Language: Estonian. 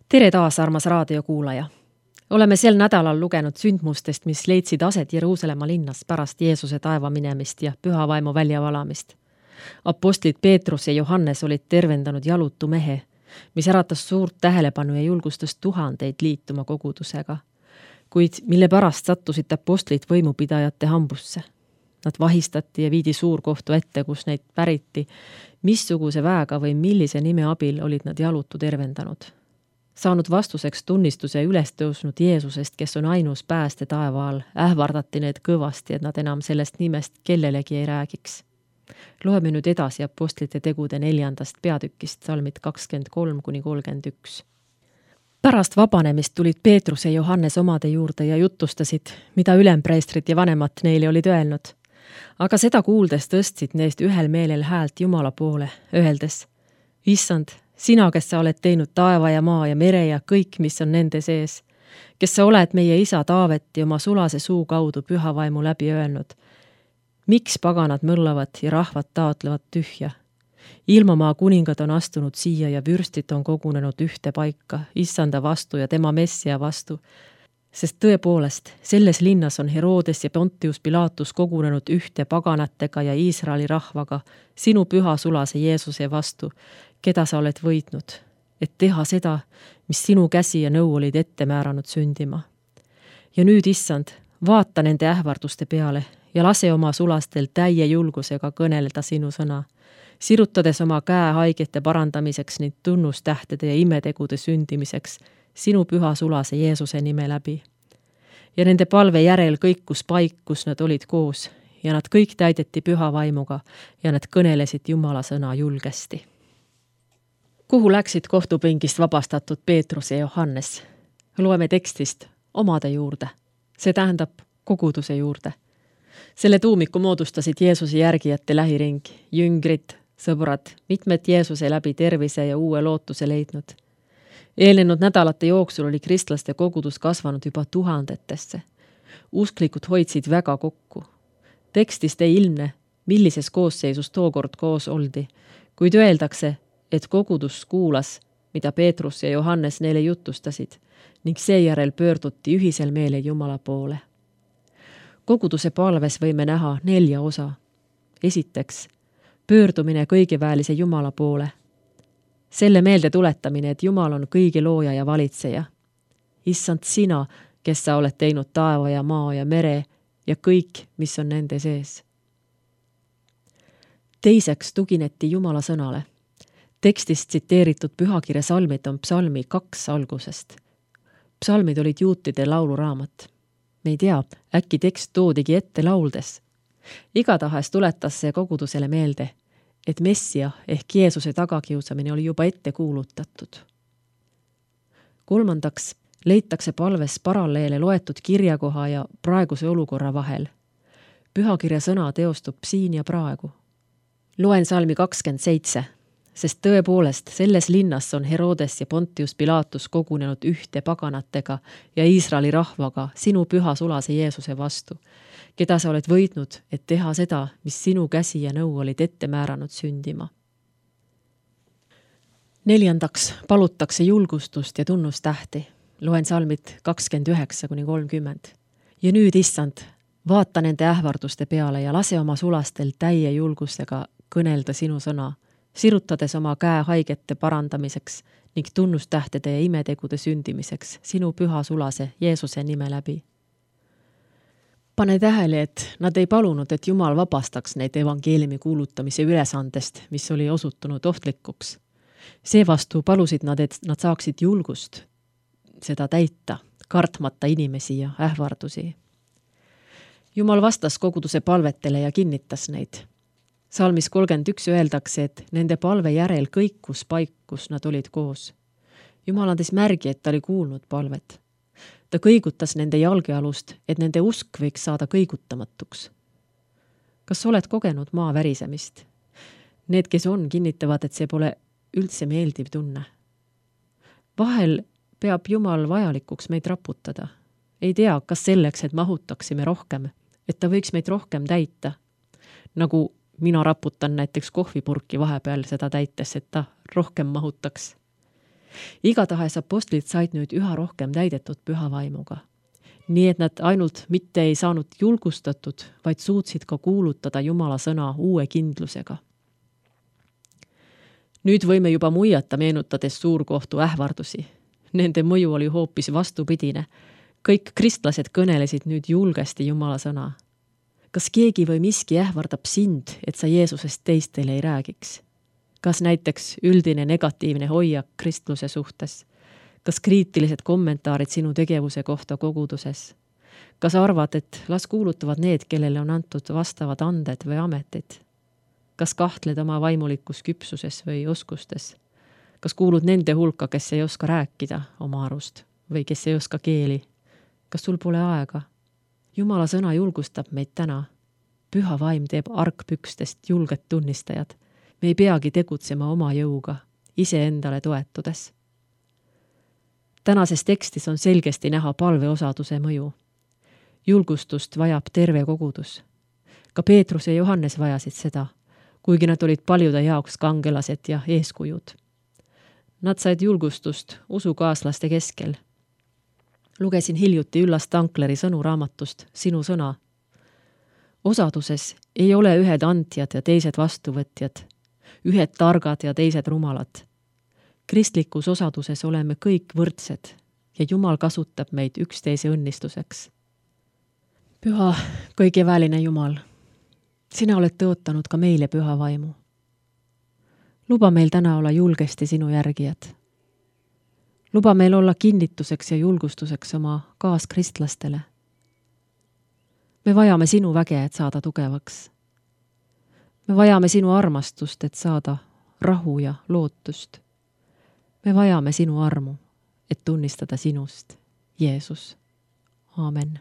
Tere taas, armas raadiokuulaja! Oleme sel nädalal lugenud sündmustest, mis leidsid aset Jeruusalemma linnas pärast Jeesuse taeva minemist ja püha vaimu väljavalamist. Apostlid Peetrus ja Johannes olid tervendanud jalutu mehe, mis äratas suurt tähelepanu ja julgustas tuhandeid liituma kogudusega, kuid mille pärast sattusid apostlid võimupidajate hambusse. Nad vahistati ja viidi suurkohtu ette, kus neid päriti, missuguse väega või millise nime abil olid nad jalutu tervendanud. Saanud vastuseks tunnistuse üles tõusnud Jeesusest, kes on ainus pääste taeva all, ähvardati need kõvasti, et nad enam sellest nimest kellelegi ei räägiks. Loeme nüüd edasi apostlite tegude 4. peatükist, salmid 23-31. Pärast vabanemist tulid Peetrus ja Johannes omade juurde ja jutustasid, mida ülempreestrid ja vanemad neile olid öelnud. Aga seda kuuldes tõstsid neist ühel meelel häält Jumala poole, öeldes: Issand, sina, kes sa oled teinud taeva ja maa ja mere ja kõik, mis on nende sees, kes sa oled meie isa Taaveti oma sulase suu kaudu püha vaimu läbi öelnud. Miks paganad mõllavad ja rahvad taotlevad tühja? Ilmamaa kuningad on astunud siia ja vürstid on kogunenud ühte paika, issanda vastu ja tema messia vastu. Sest tõepoolest, selles linnas on Herodes ja Pontius Pilatus kogunenud ühte paganatega ja Iisraeli rahvaga sinu püha sulase Jeesuse vastu, keda sa oled võitnud, et teha seda, mis sinu käsi ja nõu olid ette määranud sündima. Ja nüüd, issand, vaata nende ähvarduste peale ja lase oma sulastel täie julgusega kõneleda sinu sõna, sirutades oma käe haigete parandamiseks ning tunnustähtede ja imetegude sündimiseks sinu püha sulase Jeesuse nime läbi. Ja nende palve järel kõikus paik, kus nad olid koos, ja nad kõik täideti püha vaimuga ja nad kõnelesid Jumala sõna julgesti. Kuhu läksid kohtupingist vabastatud Peetrus ja Johannes? Loeme tekstist omade juurde, see tähendab koguduse juurde. Selle tuumiku moodustasid Jeesuse järgijate lähiring, jüngrid, sõbrad, mitmed Jeesuse läbi tervise ja uue lootuse leidnud. Eelnenud nädalate jooksul oli kristlaste kogudus kasvanud juba tuhandetesse. Usklikud hoidsid väga kokku. Tekstist ei ilmne, millises koosseisus tookord koos oldi, kuid öeldakse, et kogudus kuulas, mida Peetrus ja Johannes neile jutustasid, ning seejärel pöörduti ühisel meelel Jumala poole. Koguduse palves võime näha 4 osa. Esiteks, pöördumine kõigeväelise Jumala poole. Selle meelde tuletamine, et Jumal on kõige looja ja valitseja. Issand, sina, kes sa oled teinud taeva ja maa ja mere ja kõik, mis on nende sees. Teiseks tugineti Jumala sõnale. Tekstist tsiteeritud pühakirja salmid on psalmi 2 algusest. Psalmid olid juutide lauluraamat. Me ei tea, äkki tekst toodigi ette lauldes. Igatahes tuletas see kogudusele meelde, et messia ehk Jeesuse tagakiusamine oli juba ette kuulutatud. Kolmandaks, leitakse palves paralleele loetud kirjakoha ja praeguse olukorra vahel. Pühakirja sõna teostub siin ja praegu. Loen salmi 27, sest tõepoolest selles linnas on Herodes ja Pontius Pilatus kogunenud ühte paganatega ja Iisraeli rahvaga sinu püha sulase Jeesuse vastu, keda sa oled võitnud, et teha seda, mis sinu käsi ja nõu olid ette määranud sündima. 4. palutakse julgustust ja tunnustähti. Loen salmid 29-30. Ja nüüd, issand, vaata nende ähvarduste peale ja lase oma sulastel täie julgusega kõnelda sinu sõna, sirutades oma käe haigete parandamiseks ning tunnustähtede ja imetegude sündimiseks sinu püha sulase Jeesuse nime läbi. Pane tähele, et nad ei palunud, et Jumal vabastaks neid evangeeliumi kuulutamise ülesandest, mis oli osutunud ohtlikuks. Seevastu palusid nad, et nad saaksid julgust seda täita, kartmata inimesi ja ähvardusi. Jumal vastas koguduse palvetele ja kinnitas neid. Salmis 31 öeldakse, et nende palve järel kõikus paik, kus nad olid koos. Jumal andis märgi, et ta oli kuulnud palvet. Ta kõigutas nende jalgealust, et nende usk võiks saada kõigutamatuks. Kas oled kogenud maa värisemist? Need, kes on, kinnitavad, et see pole üldse meeldiv tunne. Vahel peab Jumal vajalikuks meid raputada. Ei tea, kas selleks, et mahutaksime rohkem, et ta võiks meid rohkem täita. Nagu mina raputan näiteks kohvipurki vahepeal seda täites, et ta rohkem mahutaks. Igatahes apostlid said nüüd üha rohkem täidetud püha vaimuga. Nii et nad ainult mitte ei saanud julgustatud, vaid suutsid ka kuulutada Jumala sõna uue kindlusega. Nüüd võime juba muiata, meenutades suurkohtu ähvardusi. Nende mõju oli hoopis vastupidine. Kõik kristlased kõnelesid nüüd julgesti Jumala sõna. Kas keegi või miski ähvardab sind, et sa Jeesusest teistele ei räägiks? Kas näiteks üldine negatiivne hoiak kristluse suhtes? Kas kriitilised kommentaarid sinu tegevuse kohta koguduses? Kas arvad, et las kuulutavad need, kellele on antud vastavad anded või ametid? Kas kahtled oma vaimulikus küpsuses või oskustes? Kas kuulud nende hulka, kes ei oska rääkida oma arust või kes ei oska keeli? Kas sul pole aega? Jumala sõna julgustab meid täna. Püha vaim teeb argpükstest julged tunnistajad. Me ei peagi tegutsema oma jõuga, iseendale toetudes. Tänases tekstis on selgesti näha palveosaduse mõju. Julgustust vajab terve kogudus. Ka Peetrus ja Johannes vajasid seda, kuigi nad olid paljude jaoks kangelased ja eeskujud. Nad said julgustust usukaaslaste keskel. Lugesin hiljuti Üllas Tankleri sõnu raamatust Sinu sõna. Osaduses ei ole ühed andjad ja teised vastuvõtjad, ühed targad ja teised rumalad. Kristlikus osaduses oleme kõik võrdsed ja Jumal kasutab meid üksteise õnnistuseks. Püha, kõigeväeline Jumal, sina oled tõotanud ka meile püha vaimu. Luba meil täna olla julgesti sinu järgijad. Luba meil olla kinnituseks ja julgustuseks oma kaaskristlastele. Me vajame sinu väge, et saada tugevaks. Me vajame sinu armastust, et saada rahu ja lootust. Me vajame sinu armu, et tunnistada sinust, Jeesus. Aamen.